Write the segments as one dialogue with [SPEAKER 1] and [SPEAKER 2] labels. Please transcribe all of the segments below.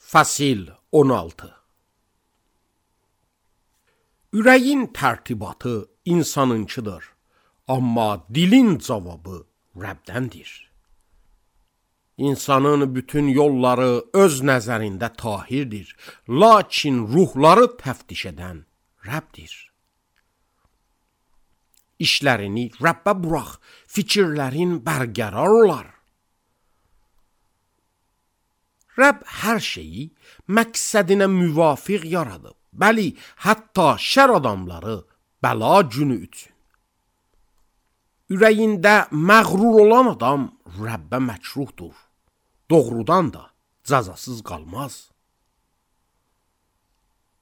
[SPEAKER 1] Fəsil 16. Ürəyin tərtibatı insanınkidir, amma dilin cavabı Rəbdəndir. İnsanın bütün yolları öz nəzərində tahirdir, lakin ruhları təftiş edən Rəbdir. İşlərini Rəbbə burax, fikirlərin bərqərar olar. Rəbb hər şeyi məqsədinə müvafiq yaradıb. Bəli, hətta şər adamları bəla günü üçün. Ürəyində məğrur olan adam Rəbbə məkruhdur. Doğrudan da cəzasız qalmaz.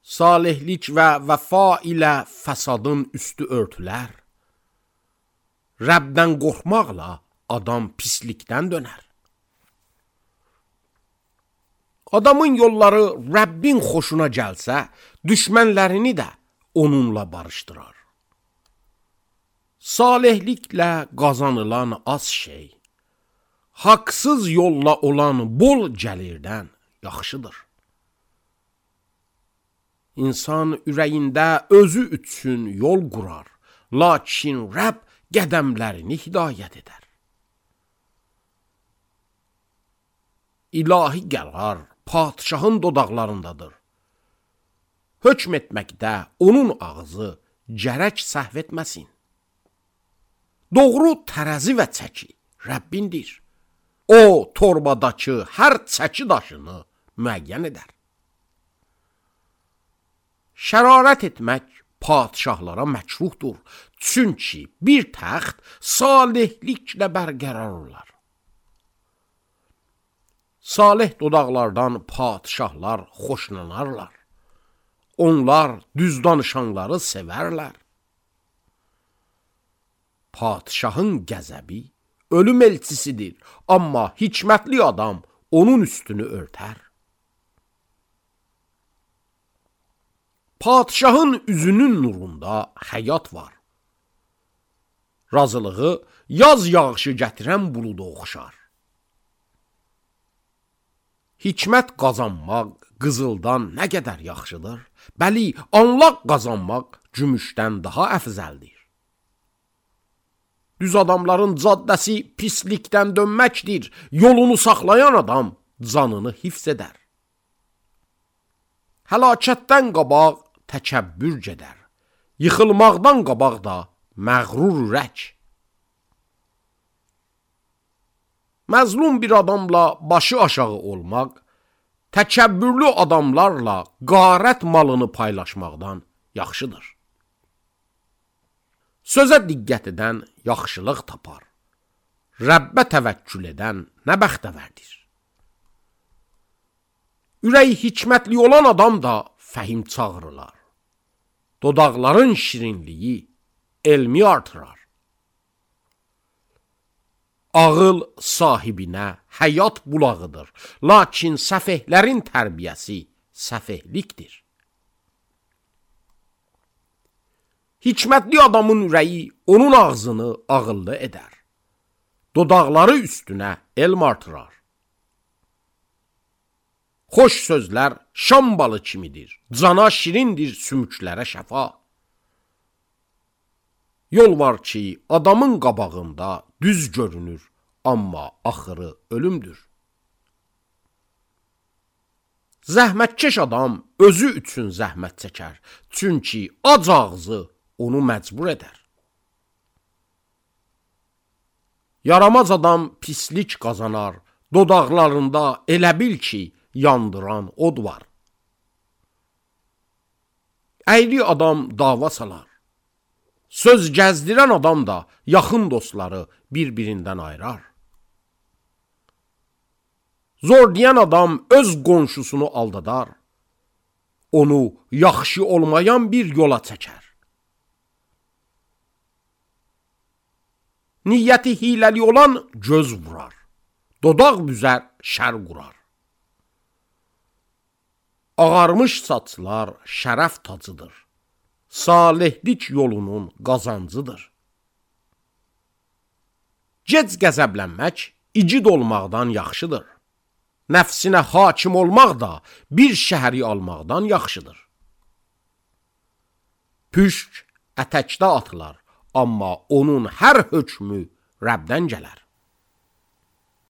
[SPEAKER 1] Salihlik və vəfa ilə fəsadın üstü örtülər. Rəbdən qorxmaqla adam pislikdən dönər. Adamın yolları Rəbbin xoşuna gəlsə, düşmənlərini də onunla barışdırar. Salihliklə qazanılan az şey, haqsız yolla olan bol gəlirdən yaxşıdır. İnsan ürəyində özü üçün yol qurar, lakin Rəbb qədəmlərini hidayət edər. İlahi qərar padşahın dodaqlarındadır. Hökm etməkdə onun ağzı gərək səhv etməsin. Doğru tərəzi və çəki Rəbbindir. O, torbadakı hər çəki daşını müəyyən edər. Şərarət etmək padşahlara məkruhdur, çünki bir təxt salihliklə bərqərar olar. Salih dodaqlardan padşahlar xoşlanarlar. Onlar düz danışanları sevərlər. Padşahın qəzəbi ölüm elçisidir, amma hikmətli adam onun üstünü örtər. Padşahın üzünün nurunda həyat var. Razılığı yaz yağışı gətirən buluda oxşar. Hikmət qazanmaq qızıldan nə qədər yaxşıdır? Bəli, anlaq qazanmaq gümüşdən daha əfzəldir. Düz adamların caddəsi pislikdən dönməkdir. Yolunu saxlayan adam canını hifz edər. Həlakətdən qabaq təkəbbür gedər. Yıxılmaqdan qabaq da məğrur ürək. Məzlum bir adamla başı aşağı olmaq, təkəbbürlü adamlarla qarət malını paylaşmaqdan yaxşıdır. Sözə diqqət edən yaxşılıq tapar. Rəbbə təvəkkül edən nə bəxtəvərdir. Ürəyi hikmətli olan adam da fəhim çağırılar. Dodaqların şirinliyi elmi artırar. Ağıl sahibinə həyat bulağıdır, lakin səfehlərin tərbiyəsi səfehlikdir. Hikmətli adamın ürəyi onun ağzını ağıllı edər. Dodaqları üstünə elm artırar. Xoş sözlər şam balı kimidir, cana şirindir sümüklərə şəfa. Yol var ki, adamın qabağında düz görünür, amma axırı ölümdür. Zəhmətkeş adam özü üçün zəhmət çəkər, çünki ac ağzı onu məcbur edər. Yaramaz adam pislik qazanar, dodaqlarında elə bil ki, yandıran od var. Əyri adam dava salar. Söz gəzdirən adam da yaxın dostları bir-birindən ayırar. Zor deyən adam öz qonşusunu aldadar. Onu yaxşı olmayan bir yola çəkər. Niyyəti hiləli olan göz vurar. Dodaq büzər, şər qurar. Ağarmış saçlar şərəf tacıdır. Salihlik yolunun qazancıdır. Gec qəzəblənmək igid olmaqdan yaxşıdır. nəfsinə hakim olmaq da bir şəhəri almaqdan yaxşıdır. Püşk ətəkdə atılar, amma onun hər hökmü Rəbdən gələr.